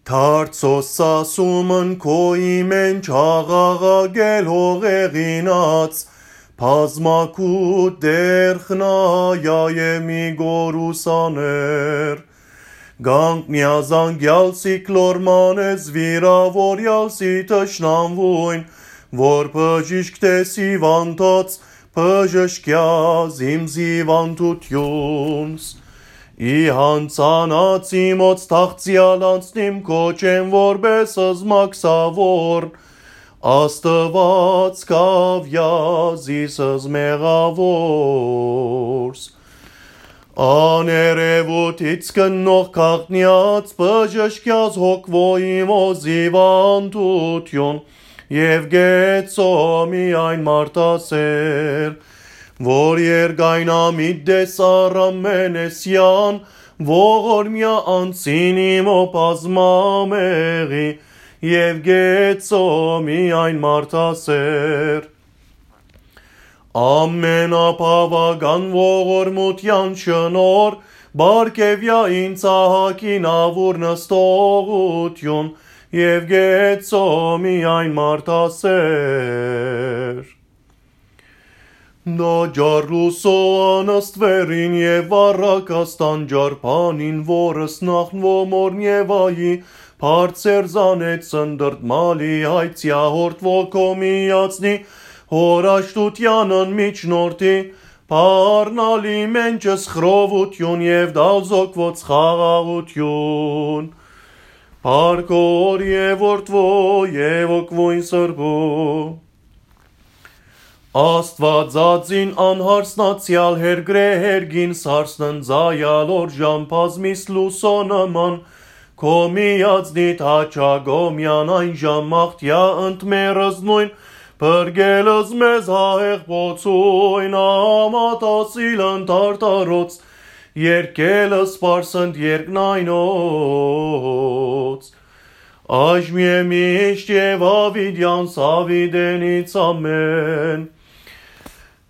Թարցոս սասումն քոյի մենչ աղաղագել հողեղինած, Պազմակուտ դերխնայայե մի գորուսաներ, Գանք միազանգյալսի կլորմանես վիրավորյալսի տշնամվույն, Որ բժիշկ տեսի վանտոց, բժշկյա զիմզիվանտությունս, Ի հանցանացի մոց թաղցյալ անցնիմ կոչեմ որպես զմաքսավոր, Աստված կավյազիսս մեղավորս, Աներևութից կնող քաղտնյաց բժշկյաց հոգվոյի մոզիվանտություն, Եվ գեցո միայն մարդասեր, Որ երգայնամիտ դեսար ամենեսյան, Ողորմյա անցինիմո պազմամեղի, Եվ գեցո միայն մարդասեր, Ամենապավական ողորմության շնոր, Բարկևյա ինձ ահակին ավուր նստողություն, Եվ գեցո միայն մարդասեր, Նա ջարլուսո անաստվերին և առակաստան ջարպանին, Որս նախնվո մորնևայի, Պարցեր զանեց սնդրտմալի, Հայցյա հորդվո կոմիացնի, Հորաշտությանն միջնորդի, Պարնալի մենչս խրովություն և դալզոկվոց խաղաղություն, Պարկոր և որդվո և ոգվույն սրբո, Աստվածածին անհարսնացյալ հերգրեհերգին սարսննձայալ օրժամ պազմիս լուսո նման, Կոմիացնիտ հաչագոմյան այն ժամաղթյա ընտմերս նույն, Բրգելս մեզ հահեղ պոցույն ամատասիլ ընտարտարոց, Երկելս պարսընդ երկնայնոց, Աժմիե միշտ և ավիդյան սավիդենից ամեն,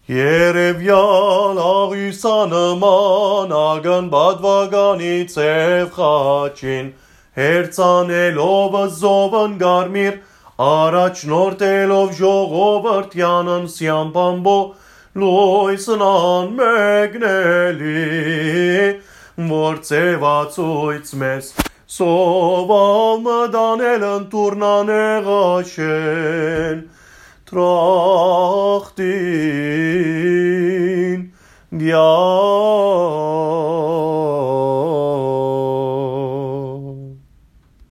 Երևյալ աղյուսանման ագն բադվագանի ծև խաչին, Հերցանելով զովն գարմիր, Առաջնորդելով ժողովրդյանն սյամպամբո, Լույսն անմեգնելի, որ ծևացույց մեզ, Սովալ մդանել ընտուրնաներաշեն, Տրախտին գյալ,